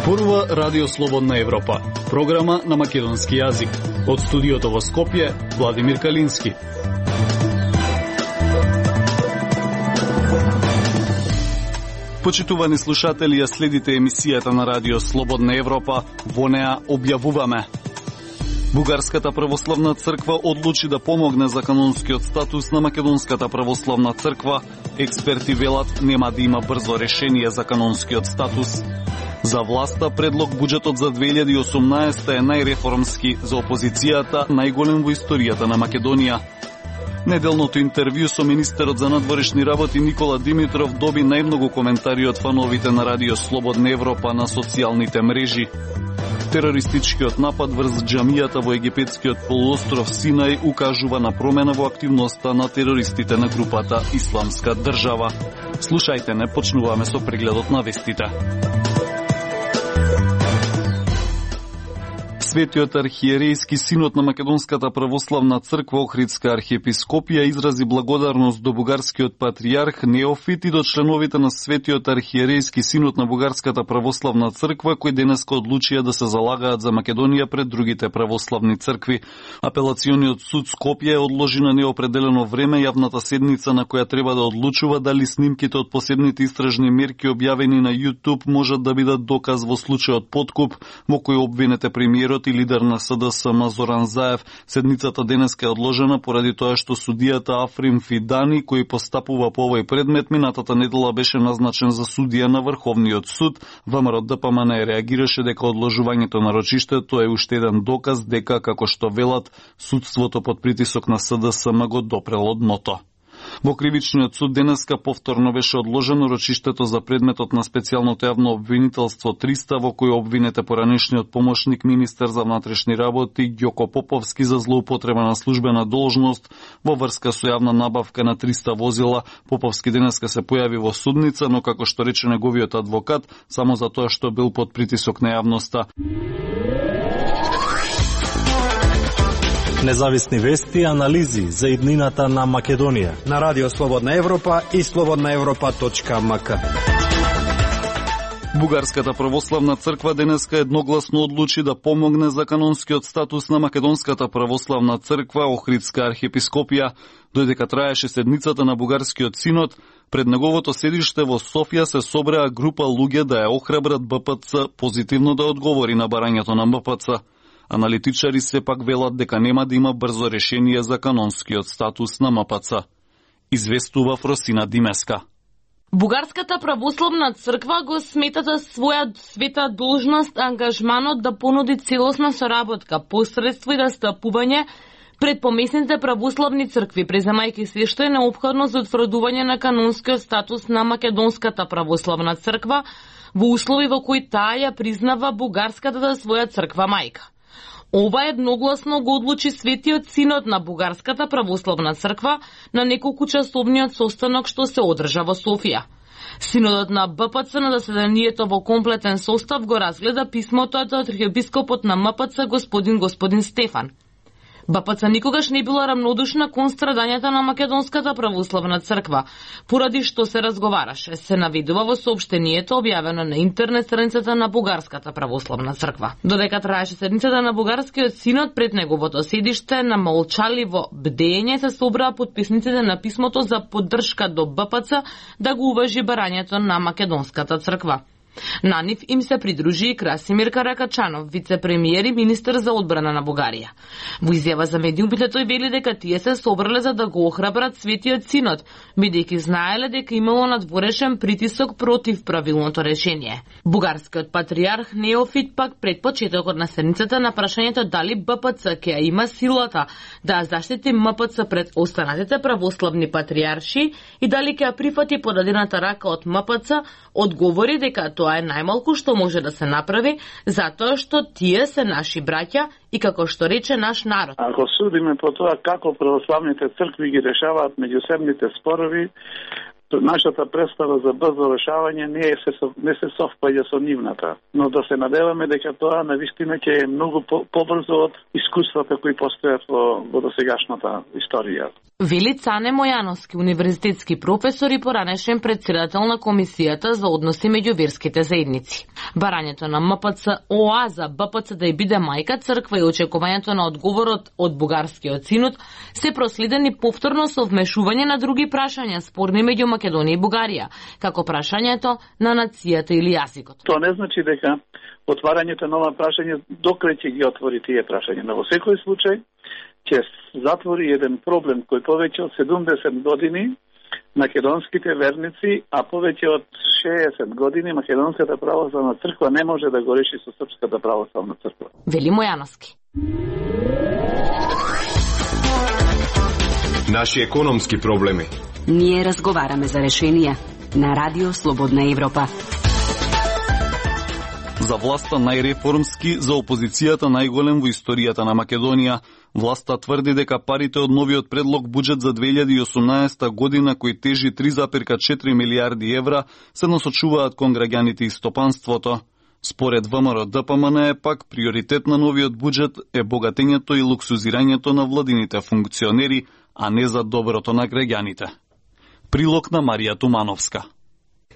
Зборува Радио Слободна Европа, програма на македонски јазик. Од студиото во Скопје, Владимир Калински. Почитувани слушатели, ја следите емисијата на Радио Слободна Европа. Во неа објавуваме: Бугарската православна црква одлучи да помогне за канонскиот статус на Македонската православна црква. Експерти велат нема да има брзо решение за канонскиот статус. За власта предлог буџетот за 2018 е најреформски, за опозицијата најголем во историјата на Македонија. Неделното интервју со министерот за надворешни работи Никола Димитров доби најмногу коментари од фановите на Радио Слободна Европа на социјалните мрежи. Терористичкиот напад врз џамијата во египетскиот полуостров Синај укажува на промена во активноста на терористите на групата Исламска држава. Слушајте, не почнуваме со прегледот на вестите. Светиот архиерејски синод на Македонската православна црква Охридска архиепископија изрази благодарност до бугарскиот патријарх Неофит и до членовите на Светиот архиерејски синод на Бугарската православна црква, кои денеска одлучија да се залагаат за Македонија пред другите православни цркви. Апелациониот суд Скопје одложи на неопределено време јавната седница на која треба да одлучува дали снимките од посебните истражни мерки објавени на YouTube можат да бидат доказ во случајот подкуп во кој обвинете премиерот и лидер на СДСМ Зоран Заев. Седницата денеска е одложена поради тоа што судијата Африм Фидани, кој постапува по овој предмет, минатата недела беше назначен за судија на Врховниот суд. ВМРО ДПМН реагираше дека одложувањето на рочиштето е уште еден доказ дека, како што велат, судството под притисок на СДСМ го допрело дното. Во кривичниот суд денеска повторно беше одложено рочиштето за предметот на специјалното јавно обвинителство 300, во кој обвинете поранешниот помошник министер за внатрешни работи Ѓоко Поповски за злоупотреба на службена должност во врска со јавна набавка на 300 возила. Поповски денеска се појави во судница, но како што рече неговиот адвокат, само за тоа што бил под притисок на јавноста. Независни вести и анализи за иднината на Македонија на Радио Слободна Европа и slobodnaevropa.mk. Бугарската православна црква денеска едногласно одлучи да помогне за канонскиот статус на Македонската православна црква Охридска архиепископија. Додека траеше седницата на Бугарскиот синод, пред неговото седиште во Софија се собреа група луѓе да ја охрабрат БПЦ позитивно да одговори на барањето на МПЦ. Аналитичари сепак велат дека нема да има брзо решение за канонскиот статус на МПЦ. Известува Фросина Димеска. Бугарската православна црква го смета за своја света должност ангажманот да понуди целосна соработка, посредство и растапување пред помесните православни цркви, преземајќи се што е неопходно за утврдување на канонскиот статус на Македонската православна црква во услови во кои таа ја признава бугарската за своја црква мајка. Ова едногласно го одлучи Светиот синод на Бугарската православна црква на неколкучасовниот состанок што се одржа во Софија. Синодот на БПЦ на заседанието во комплетен состав го разгледа писмото од архиепископот на МПЦ господин Стефан. БПЦ никогаш не била рамнодушна кон страдањата на Македонската православна црква, поради што се разговараше, се наведува во соопштението објавено на интернет страницата на Бугарската православна црква. Додека траеше седницата на Бугарскиот синод, пред неговото седиште на молчаливо бдење се собраа потписниците на писмото за поддршка до БПЦ да го уважи барањето на Македонската црква. На нив им се придружи и Красимир Каракачанов, вице-премиер и министер за одбрана на Бугарија. Во изјава за медиумите тој вели дека тие се собрале за да го охрабрат Светиот синод, бидејќи знаеле дека имало надворешен притисок против правилното решение. Бугарскиот патријарх Неофит пак пред почетокот на седницата на прашањето дали БПЦ ќе има силата да заштити МПЦ пред останатите православни патријарши и дали ќе прифати подадената рака од МПЦ, одговори дека тоа е најмалку што може да се направи, затоа што тие се наши браќа и како што рече наш народ. Ако судиме по тоа како православните цркви ги решаваат меѓусебните спорови, нашата представа за брзо решавање не се совпаѓа со нивната, но да се надеваме дека тоа навистина ќе е многу побрзо од искуствата кои постојат во досегашната историја. Вели Цане Мојановски, универзитетски професор и поранешен претседател на Комисијата за односи меѓу верските заедници. Барањето на МПЦ ОА за БПЦ да ја биде мајка црква и очекувањето на одговорот од Бугарскиот синод се проследени повторно со вмешување на други прашања спорни меѓу Македонија и Бугарија, како прашањето на нацијата или јазикот. Тоа не значи дека отварањето на ова прашање докрај ќе ги отвори тие прашања, но во секој случај ќе затвори еден проблем кој повеќе од 70 години македонските верници, а повеќе од 60 години Македонската православна црква не може да го реши со Српската православна црква. Вели Мојановски. Наши економски проблеми. Ние разговараме за решенија на Радио Слободна Европа. За власта најреформски, за опозицијата најголем во историјата на Македонија. Власта тврди дека парите од новиот предлог буџет за 2018 година, кој тежи 3,4 милиарди евра, се насочуваат кон граѓаните и стопанството. Според ВМРО ДПМН е пак приоритет на новиот буџет е богатењето и луксузирањето на владините функционери, а не за доброто на граѓаните. Прилог на Марија Тумановска.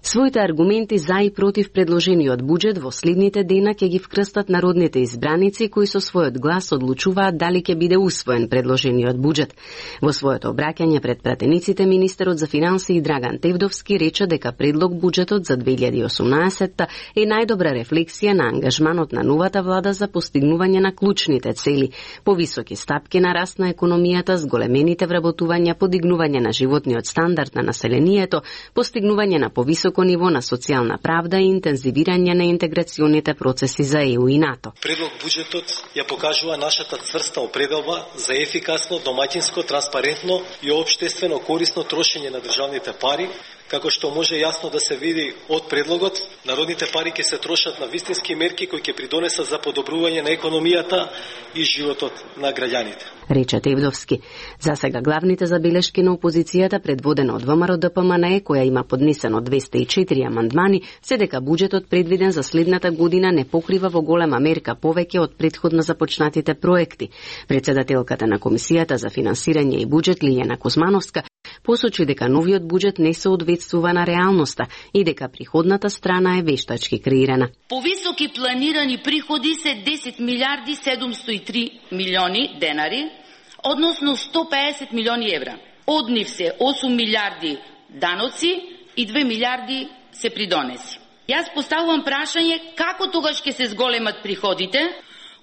Своите аргументи за и против предложениот буџет во следните дена ќе ги вкрстат народните избраници кои со својот глас одлучуваат дали ќе биде усвоен предложениот буџет. Во своето обраќање пред пратениците, министерот за финансии Драган Тевдовски рече дека предлог буџетот за 2018 е најдобра рефлексија на ангажманот на новата влада за постигнување на клучните цели: повисоки стапки на раст на економијата, зголемените вработувања, подигнување на животниот стандард на населението, постигнување на повисоко ниво на социјална правда и интензивирање на интеграционите процеси за ЕУ и НАТО. Предлог буџетот ја покажува нашата цврста определба за ефикасно, домаќинско, транспарентно и општествено корисно трошење на државните пари, како што може јасно да се види од предлогот. Народните пари ќе се трошат на вистински мерки кои ќе придонесат за подобрување на економијата и животот на граѓаните, рече Тевдовски. За сега главните забелешки на опозицијата, предводена од ВМРО ДПМН, која има поднесено 204 амандмани, се дека буџетот предвиден за следната година не покрива во голема мерка повеќе од претходно започнатите проекти. Председателката на Комисијата за финансирање и буџет Лиljana Кузмановска посочи дека новиот буџет не соодветствува на реалноста и дека приходната страна е вештачки креирана. Повисоки планирани приходи се 10 милиарди 703 милиони денари, односно 150 милиони евра. Од нив се 8 милиарди даноци и 2 милиарди се придонеси. Јас поставувам прашање како тогаш ќе се зголемат приходите,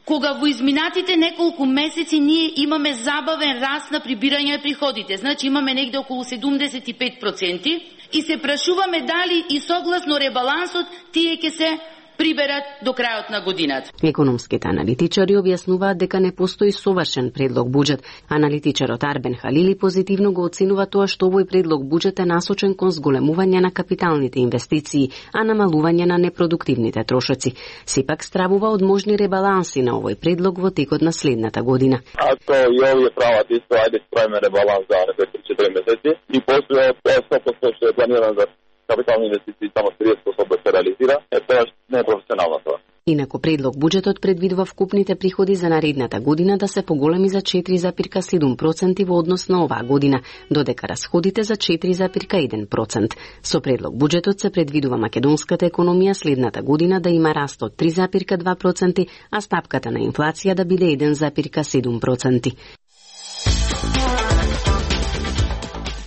кога во изминатите неколку месеци ние имаме забавен раст на прибирање на приходите. Значи имаме негде околу 75% и се прашуваме дали и согласно ребалансот тие ќе се приберат до крајот на годината. Економските аналитичари објаснуваат дека не постои совршен предлог буџет. Аналитичарот Арбен Халили позитивно го оценува тоа што овој предлог буџет е насочен кон зголемување на капиталните инвестиции, а намалување на непродуктивните трошоци. Сепак стравува од можни ребаланси на овој предлог во текот на следната година. Ако и овие прават исто, ајде правиме ребаланс за 4 месеци и после 100% што е планиран за капитални инвестиции само 30% да се реализира, тоа не е професионално тоа. Инаку предлог буџетот предвидува вкупните приходи за наредната година да се поголеми за 4,7% во однос на оваа година, додека расходите за 4,1%. Со предлог буџетот се предвидува македонската економија следната година да има раст од 3,2%, а стапката на инфлација да биде 1,7%.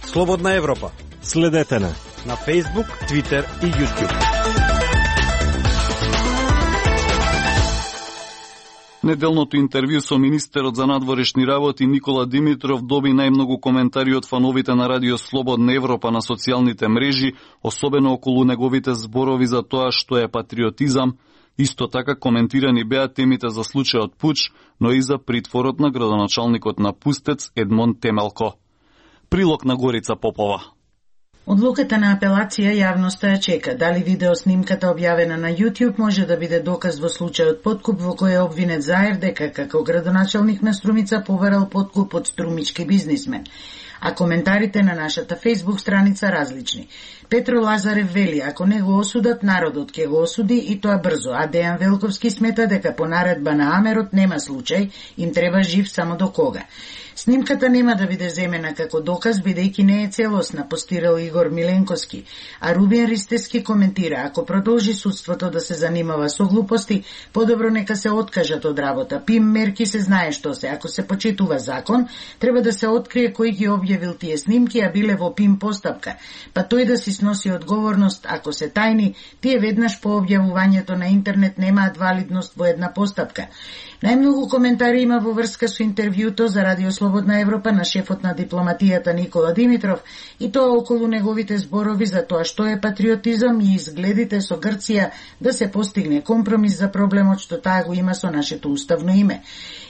Слободна Европа. Следете на Facebook, Twitter и YouTube. Неделното интервју со министерот за надворешни работи Никола Димитров доби најмногу коментари од фановите на Радио Слободна Европа на социјалните мрежи, особено околу неговите зборови за тоа што е патриотизам. Исто така коментирани беа темите за случајот Пуч, но и за притворот на градоначалникот на Пустец Едмон Темелко. Прилог на Горица Попова. Одлуката на апелација јавноста ја чека. Дали видеоснимката објавена на YouTube може да биде доказ во случајот подкуп во кој е обвинет Заер дека како градоначалник на Струмица поверал подкуп од струмички бизнисмен. а коментарите на нашата Facebook страница различни. Петро Лазарев вели, ако не го осудат, народот ќе го осуди и тоа брзо, а Дејан Велковски смета дека по наредба на Амерот нема случај, им треба жив само до кога. Снимката нема да биде земена како доказ, бидејќи не е целосна, постирал Игор Миленковски, а Рубин Ристески коментира, ако продолжи судството да се занимава со глупости, подобро нека се откажат од работа. Пим мерки се знае што се, ако се почитува закон, треба да се открие кој ги објавил тие снимки, а биле во Пим постапка, па тој да си сноси одговорност, ако се тајни, тие веднаш по објавувањето на интернет немаат валидност во една постапка. Најмногу коментари има во врска со интервјуто за Радио Слободна Европа на шефот на дипломатијата Никола Димитров и тоа околу неговите зборови за тоа што е патриотизам и изгледите со Грција да се постигне компромис за проблемот што таа го има со нашето уставно име.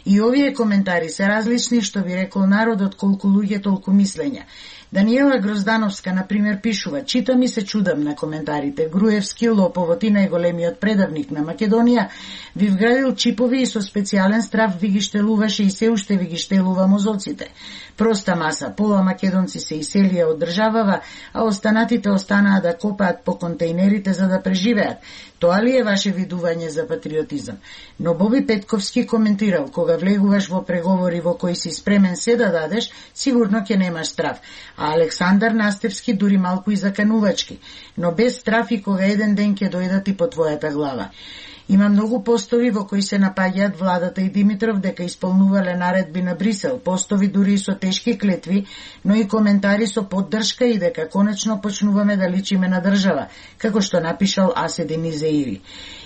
И овие коментари се различни, што би рекол народот, колку луѓе толку мислења. Даниела Гроздановска, например, пишува: читам и се чудам на коментарите. Груевски, лоповот и најголемиот предавник на Македонија, ви вградил чипови и со специјален страф ви ги штелуваше и се уште ви ги штелува мозоците. Проста маса, пола македонци се иселија од државава, а останатите останаа да копаат по контейнерите за да преживеат. Тоа ли е ваше видување за патриотизам? Но Боби Петковски коментирал: кога влегуваш во преговори во кои си спремен се да дадеш, сигурно ќе немаш страф. А Александар Настевски дури малку и заканувачки, но без страф и кога еден ден ќе дојдат и по твојата глава. Има многу постови во кои се напаѓаат владата и Димитров дека исполнувале наредби на Брисел, постови дури и со тешки клетви, но и коментари со поддршка и дека конечно почнуваме да личиме на држава, како што напишал Аседин Изеири.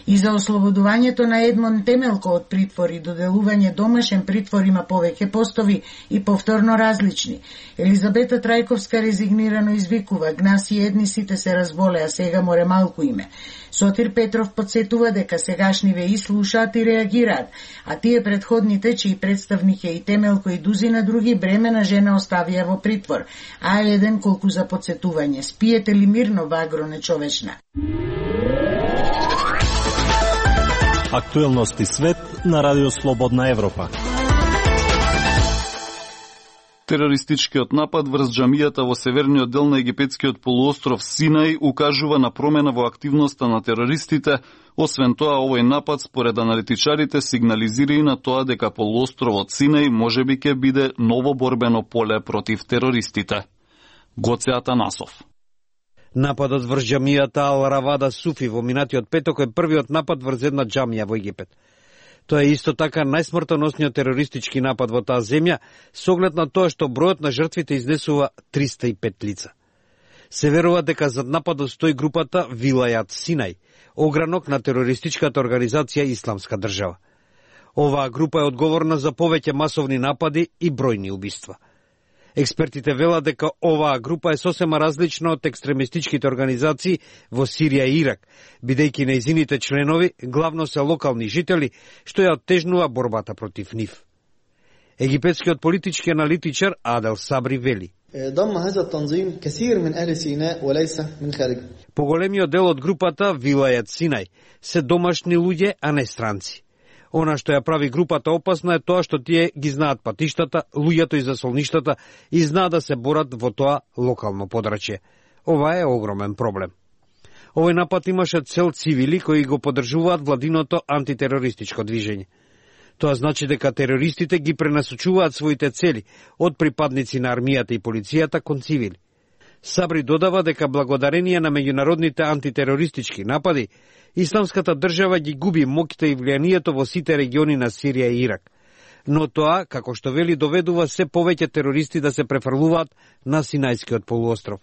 И за ослободувањето на Едмон Темелко од притвор и доделување домашен притвор има повеќе постови и повторно различни. Елизабета Трајковска резигнирано извикува: гнаси едни сите се разболеа, сега море малку име. Сотир Петров подсетува дека сегашниве и слушаат и реагираат, а тие предходните, чии представник е и Темелко и дузина други, бремена жена оставија во притвор, а еден колку за подсетување: спиете ли мирно, вагро нечовечна? Актуелности свет на Радио Слободна Европа. Терористичкиот напад врз џамијата во северниот дел на египетскиот полуостров Синај укажува на промена во активноста на терористите. Освен тоа, овој напад според аналитичарите сигнализира и на тоа дека полуостровот Синај можеби ќе биде ново борбено поле против терористите. Гоце Атанасов. Нападот врз џамијата Ал-Равада Суфи во минатиот петок е првиот напад врз една џамија во Египет. Тоа е исто така најсмртоносниот терористички напад во таа земја, со оглед на тоа што бројот на жртвите изнесува 305 лица. Се верува дека зад нападот стои групата Вилајат Синај, огранок на терористичката организација Исламска држава. Оваа група е одговорна за повеќе масовни напади и бројни убиства. Експертите велат дека оваа група е сосема различна од екстремистичките организации во Сирија и Ирак, бидејќи нејзините членови главно се локални жители, што ја оттежнува борбата против нив. Египетскиот политички аналитичар Адел Сабри вели: поголемиот дел од групата Вилајат Синај се домашни луѓе, а не странци. Она што ја прави групата опасна е тоа што тие ги знаат патиштата, луѓето и засолништата и знаат да се борат во тоа локално подрачје. Ова е огромен проблем. Овој напад имаше цел цивили кои го поддржуваат владиното антитерористичко движење. Тоа значи дека терористите ги пренасочуваат своите цели од припадници на армијата и полицијата кон цивили. Сабри додава дека благодарение на меѓународните антитерористички напади, Исламската држава ги губи моќта и влијанието во сите региони на Сирија и Ирак. Но тоа, како што вели, доведува се повеќе терористи да се префрлуваат на Синајскиот полуостров.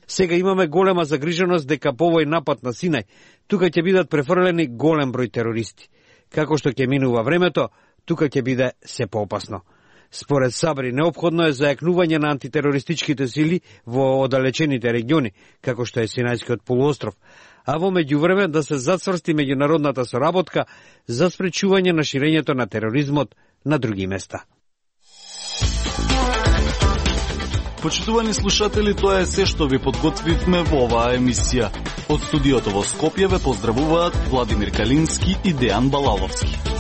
Сега имаме голема загриженост дека по овој напад на Синај тука ќе бидат префрлени голем број терористи. Како што ќе минува времето, тука ќе биде се поопасно. Според Сабри, неопходно е зајакнување на антитерористичките сили во оддалечените региони, како што е Синајскиот полуостров, а во меѓувреме да се зацврсти меѓународната соработка за спречување на ширењето на тероризмот на други места. Почитувани слушатели, тоа е се што ви подготвивме во оваа емисија. Од студиото во Скопје ве поздравуваат Владимир Калински и Дејан Балаловски.